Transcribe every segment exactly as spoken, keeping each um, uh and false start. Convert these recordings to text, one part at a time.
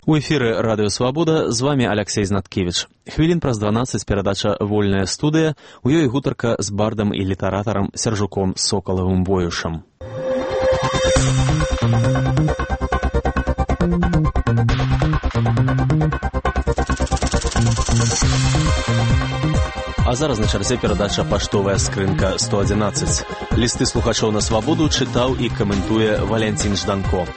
У эфіры Радыё Свабода, з вамі Аляксей Знаткевіч. Хвілін праз дванаццаць перадача «Вольная студыя», у ёй гутарка з бардам і літаратарам Сяржуком Сокалавым Боюшам. А зараз на чарзе перадача «Паштовая скрынка сто адзінаццаць». Лісты слухачоў на свабоду чытаў і каментуе Валянцін Жданко.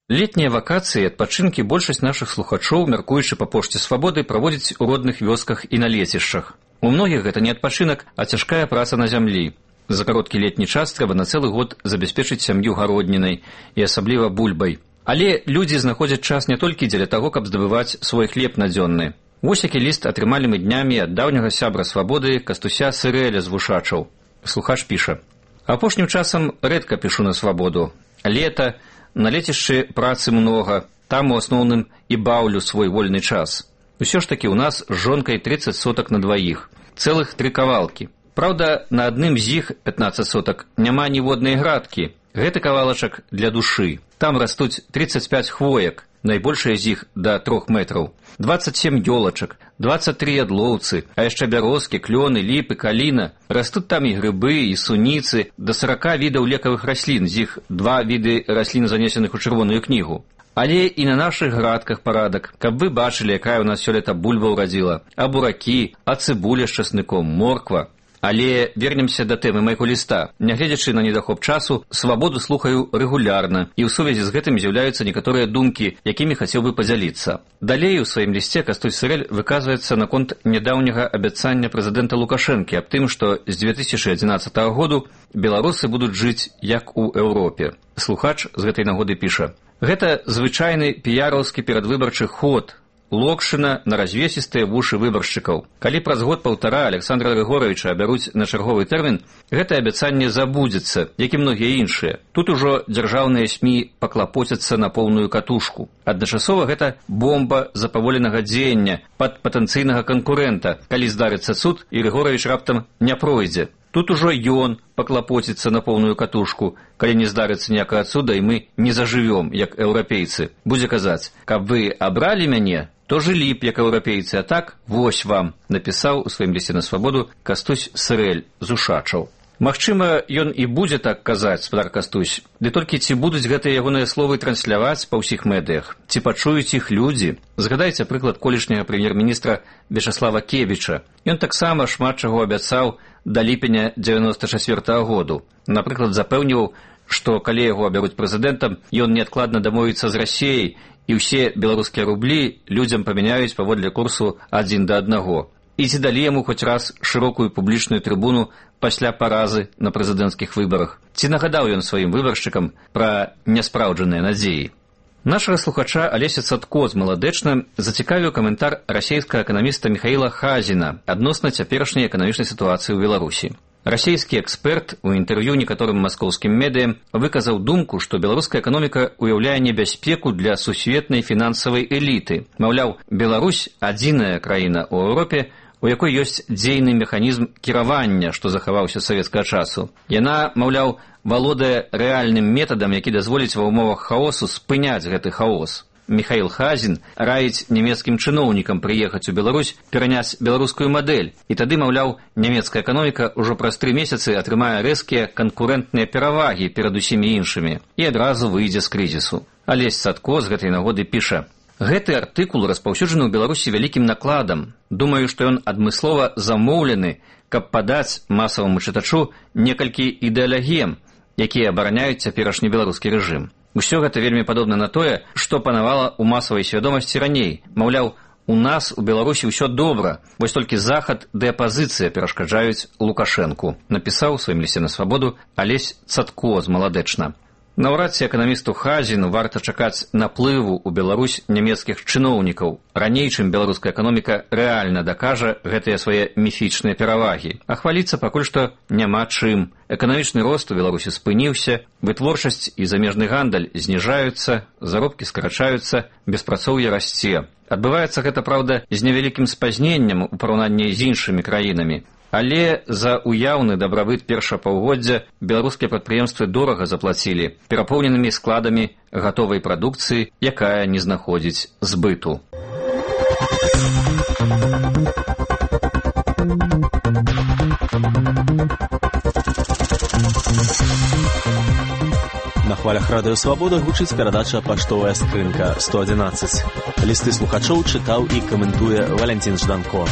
Летнія вакацыі і адпачынкі большасць нашых слухачоў, мяркуючы па пошце свабоды, праводзяць у родных вёсках і на лецішчах. У многіх гэта не адпачынак, а цяжкая праца на зямлі. За кароткі летні час трэба на цэлы год забяспечыць сям'ю гароднінай і асабліва бульбай. Але людзі знаходзяць час не толькі дзеля таго, каб здабываць свой хлеб надзённы. Вось які ліст атрымалі мы днямі ад даўняга сябра свабоды Кастуся Сырэля з Вушачаў. Слухач піша: «Апошнім часам рэдка пішу на свабоду. Лета, на лецішчы працы многа, там у асноўным і баўлю свой вольны час. Усё ж такі ў нас з жонкай трыццаць сотак на дваіх, цэлых тры кавалкі. Праўда, на адным з іх, пятнаццаць сотак, няма ніводнай градкі. Гэты кавалачак для душы. Там растуць трыццаць пяць хвоек, найбольшая з іх да трох метраў, дваццаць сем ёлачак, дваццаць тры ядлоўцы, а яшчэ бярозкі, клёны, ліпы, каліна. Растуць там і грыбы, і суніцы, да сарака відаў лекавых раслін, з іх два віды раслін, занесеных у чырвоную кнігу. Але і на нашых градках парадак, каб вы бачылі, якая ў нас сёлета бульба ўрадзіла, а буракі, а цыбуля з часныком, морква. Але вернемся да тэмы майго ліста. Нягледзячы на недахоп часу, свабоду слухаю рэгулярна, і ў сувязі з гэтым з'яўляюцца некаторыя думкі, якімі хацеў бы падзяліцца. Далей у сваім лісце Кастусь Сырэль выказваецца наконт нядаўняга абяцання прэзідэнта Лукашэнкі аб тым, што з две тысячы адзінаццатага году беларусы будуць жыць як у Еўропе. Слухач з гэтай нагоды піша: «Гэта звычайны піяраўскі перадвыбарчы ход, локшына на развесістыя вушы выбаршчыкаў. Калі праз год-паўтара Александра Григоровича абяруць на чарговы тэрмін, гэтае абяцанне забудзецца, як і многія іншыя. Тут ужо дзяржаўныя СМІ паклапоцяцца на поўную катушку. Адначасова гэта бомба запаволенага дзеяння пад патэнцыйнага канкурэнта, калі здарыцца цуд і Григорович раптам не пройдзе. Тут ужо ён паклапоціцца на поўную катушку, калі не здарыцца ніякага цуда і мы не зажывём, як еўрапейцы. Будзе казаць: каб вы абралі мяне, то жылі б як еўрапейцы, а так вось вам», напісаў у сваім лісце на свабоду Кастусь Сырэль з Ушачаў. Магчыма, ён і будзе так казаць, спадар Кастусь, ды толькі ці будуць гэтыя ягоныя словы трансляваць па ўсіх медыях, ці пачуюць іх людзі. Згадайце прыклад колішняга прэм'ер-міністра Вячаслава Кебіча. Ён таксама шмат чаго абяцаў да ліпеня дзевяноста чацвёртага году. Напрыклад, запэўніваў, што калі яго абяруць прэзідэнтам, ён неадкладна дамовіцца з Расіяй, і ўсе беларускія рублі людзям памяняюць паводле курсу адзін да аднаго. І ці далі яму хоць раз шырокую публічную трыбуну пасля паразы на прэзідэнцкіх выбарах? Ці нагадаў ён сваім выбаршчыкам пра няспраўджаныя надзеі? Нашага слухача Алеся Цатко з Маладэчна зацікавіў каментар расійскага эканаміста Міхаіла Хазіна адносна цяперашняй эканамічнай сітуацыі ў Беларусі. Расійскі эксперт у інтэрв'ю некаторым маскоўскім медыям выказаў думку, што беларуская эканоміка ўяўляе небяспеку для сусветнай фінансавай эліты. Маўляў, Беларусь – адзіная краіна ў Еўропе, у якой ёсць дзейны механізм кіравання, што захаваўся з савецкага часу. Яна, маўляў, валодае рэальным метадам, які дазволіць ва ўмовах хаосу спыняць гэты хаос. Міхаіл Хазін раіць нямецкім чыноўнікам прыехаць у Беларусь, пераняць беларускую мадэль, і тады, маўляў, нямецкая эканоміка ўжо праз тры месяцы атрымае рэзкія канкурэнтныя перавагі перад усімі іншымі і адразу выйдзе з крызісу. Алесь Цатко з гэтай нагоды піша: «Гэты артыкул распаўсюджаны ў Беларусі вялікім накладам. Думаю, што ён адмыслова замоўлены, каб падаць масаваму чытачу некалькі ідэалагем, якія абараняюць цяперашні беларускі рэжым. Усё гэта вельмі падобна на тое, што панавала ў масавай свядомасці раней. Маўляў, у нас у Беларусі ўсё добра, вось толькі захад ды апазіцыя перашкаджаюць Лукашэнку», напісаў у сваім лісце на свабоду Алесь Цатко з Маладэчна. Наўрад ці эканамісту Хазіну варта чакаць наплыву ў Беларусь нямецкіх чыноўнікаў, раней, чым беларуская эканоміка рэальна дакажа гэтыя свае міфічныя перавагі. А хваліцца пакуль што няма чым. Эканамічны рост у Беларусі спыніўся, вытворчасць і замежны гандаль зніжаюцца, заробкі скарачаюцца, беспрацоўе расце. Адбываецца гэта, праўда, з невялікім спазненнем у параўнанні з іншымі краінамі. Але за уяўны дабрабыт першага паўгоддзя беларускія прадпрыемствы дорага заплацілі перапоўненымі складамі гатовай прадукцыі, якая не знаходзіць збыту. На хвалях радыё Свабода гучыць перадача «Паштовая скрынка сто адзінаццаць». Лісты слухачоў чытаў і каментуе Валянцін Жданко.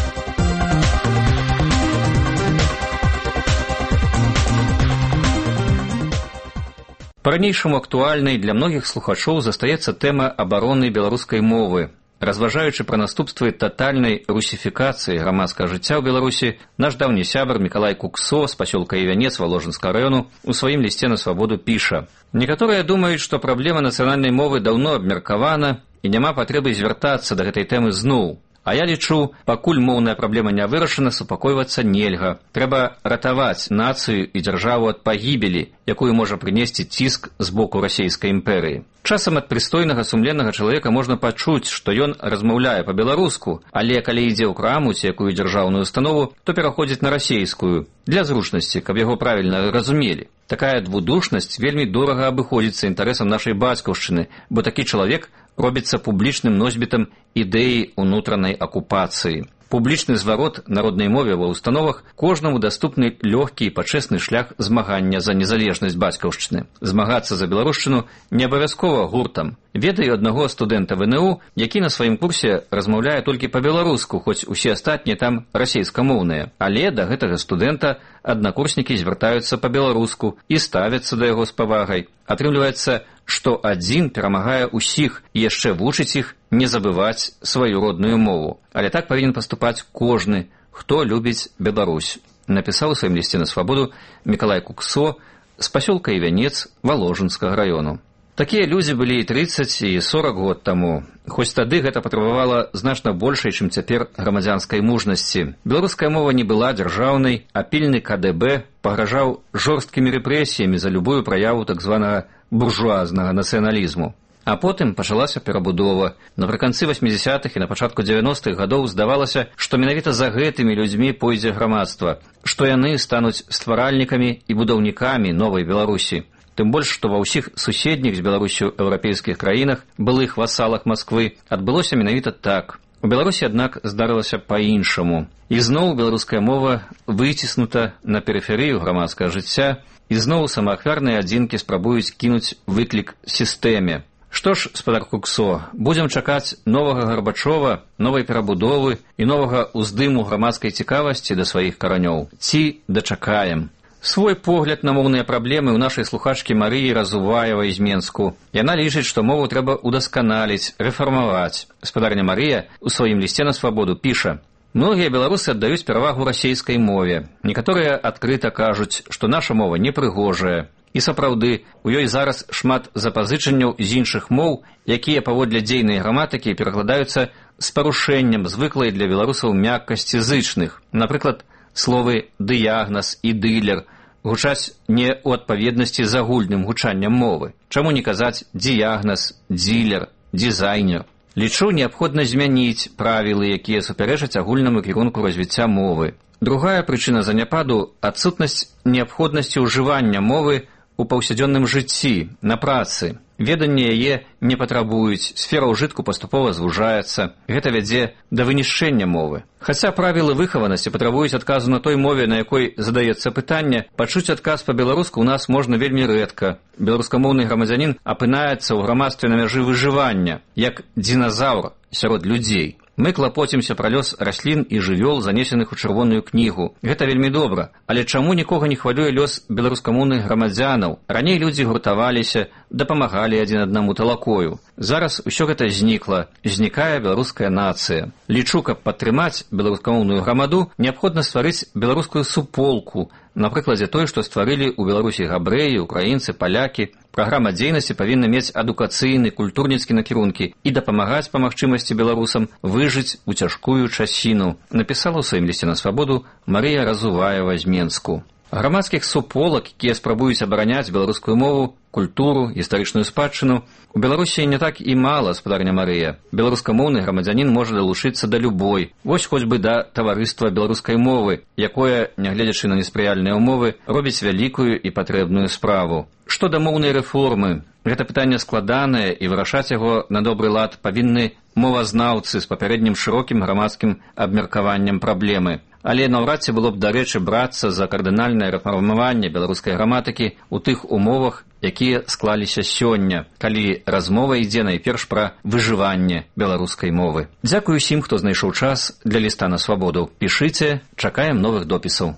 Па-ранейшаму актуальнай для многіх слухачоў застаецца тэма абароны беларускай мовы. Разважаючы пра наступствы татальнай русіфікацыі грамадскага жыцця ў Беларусі, наш даўні сябар Мікалай Куксо з пасёлка Івянец Валожынскага раёну у сваім лісце на Свабоду піша: «Некаторыя думаюць, што праблема нацыянальнай мовы даўно абмеркавана і няма патрэбы звяртацца да гэтай тэмы зноў. А я лічу, пакуль моўная праблема не вырашана, супакойвацца нельга. Трэба ратаваць нацыю і дзяржаву ад пагібелі, якую можа прынесці ціск з боку расійскай імперыі. Часам ад прыстойнага сумленнага чалавека можна пачуць, што ён размаўляе па-беларуску, але калі ідзе ў краму ці якую дзяржаўную установу, то пераходзіць на расейскую, для зручнасці, каб яго правільна разумелі. Такая двудушнасць вельмі дорага абыходзіцца інтарэсам нашай бацькаўшчыны, бо такі чалавек робіцца публічным носьбітам ідэі ўнутранай акупацыі. Публічны зварот народнай мове ва ўстановах кожнаму даступны лёгкі і пачэсны шлях змагання за незалежнасць бацькаўшчыны. Змагацца за беларушчыну не абавязкова гуртам. Ведаю аднаго студэнта ВНУ, які на сваім курсе размаўляе толькі па-беларуску, хоць усе астатнія там расейскамоўныя. Але да гэтага студэнта аднакурснікі звяртаюцца па-беларуску і ставяцца да яго з павагай. Атрымліваецца, што адзін перамагае ўсіх і яшчэ вучыць іх не забываць сваю родную мову. Але так павінен паступаць кожны, хто любіць Беларусь, напісаў у сваім лісце на Свабоду Мікалай Куксо з пасёлка Івянец Валожынскага раёну. Такія людзі былі і трыццаць, і сорак год таму. Хоць тады гэта патрабавала значна большай, чым цяпер грамадзянскай мужнасці. Беларуская мова не была дзяржаўнай, а пільны ка дэ бэ пагражаў жорсткімі рэпрэсіямі за любую праяву так званага буржуазнага нацыяналізму. А потым пачалася перабудова. Напрыканцы васьмідзясятых і на пачатку дзевяностых гадоў здавалася, што менавіта за гэтымі людзьмі пойдзе грамадства, што яны стануць стваральнікамі і будаўнікамі новай Беларусі. Тым больш, што ва ўсіх суседніх з Беларусю еўрапейскіх краінах, былых васалах Масквы, адбылося менавіта так. У Беларусі, аднак, здарылася па-іншаму. І зноў беларуская мова выціснута на перыферыю грамадскага жыцця, і зноў самаахвярныя адзінкі спрабуюць кінуць выклік сістэме. Што ж, спадар Куксо, будзем чакаць новага Гарбачова, новай перабудовы і новага ўздыму грамадскай цікавасці да сваіх каранёў. Ці дачакаем? Свой погляд на моўныя праблемы ў нашай слухачкі Марыі Разуваевай з Менску. Яна лічыць, што мову трэба удасканаліць, рэфармаваць. Спадарня Марыя у сваім лісце на Свабоду піша: «Многія беларусы аддаюць перавагу расейскай мове. Некаторыя адкрыта кажуць, што наша мова непрыгожая. І сапраўды, у ёй зараз шмат запазычанняў з іншых моў, якія паводле дзейнай граматыкі перакладаюцца з парушэннем звыклай для беларусаў мяккасці зычных. Напрыклад, словы «дыягназ» і «дылер» гучаць не ў адпаведнасці з агульным гучаннем мовы. Чаму не казаць «діягназ», «дзілер», «дызайнер»? Лічу, неабходна змяніць правілы, якія супярэчаць агульнаму кірунку развіцця мовы. Другая прычына заняпаду – адсутнасць неабходнасці ўжывання мовы у паўсядзённым жыцці, на працы. Веданне яе не патрабуюць, сфера ўжытку паступова звужаецца. Гэта вядзе да вынішчэння мовы. Хаця правілы выхаванасці патрабуюць адказу на той мове, на якой задаецца пытанне, пачуць адказ па-беларуску ў нас можна вельмі рэдка. Беларускамоўны грамадзянін апынаецца ў грамадстве на мяжы выжывання, як диназаўр сярод людзей. Мы клапоцімся пра лёс раслін і жывёл, занесеных у чырвоную кнігу. Гэта вельмі добра. Але чаму нікога не хвалюе лёс беларускамоўных грамадзянаў? Раней людзі гуртаваліся, дапамагалі адзін аднаму талакою. Зараз усё гэта знікла. Знікае беларуская нацыя. Лічу, каб падтрымаць беларускамоўную грамаду, неабходна стварыць беларускую суполку, на прыкладзе той, што стварылі ў Беларусі габрэі, украінцы, палякі. Праграма дзейнасці павінна мець адукацыйны, культурніцкі накірункі і дапамагаць па магчымасці беларусам выжыць у цяжкую часіну, напісала ў сваім лісце на Свабоду Марыя Разуваева з Менску. Грамадскіх суполак, якія спрабуюць абараняць беларускую мову, культуру, гістарычную спадчыну, у Беларусі не так і мала, спадарня Марыя. Беларускамоўны грамадзянін можа далучыцца да любой, вось хоць бы да таварыства беларускай мовы, якое, нягледзячы на неспрыяльныя ўмовы, робіць вялікую і патрэбную справу. Што да моўнай рэформы? Гэта пытанне складанае, і вырашаць яго на добры лад павінны мовазнаўцы з папярэднім шырокім грамадскім абмеркаваннем праблемы. Але наўрад ці было б дарэчы брацца за кардынальнае рэфармаванне беларускай граматыкі ў тых умовах, якія склаліся сёння, калі размова ідзе найперш пра выжыванне беларускай мовы. Дзякую усім, хто знайшоў час для ліста на свабоду. Пішыце, чакаем новых допісаў.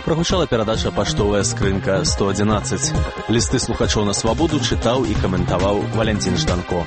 Прагучала перадача «Паштовая скрынка сто адзінаццаць». Лісты слухачоў на свабоду чытаў і каментаваў Валянцін Жданко.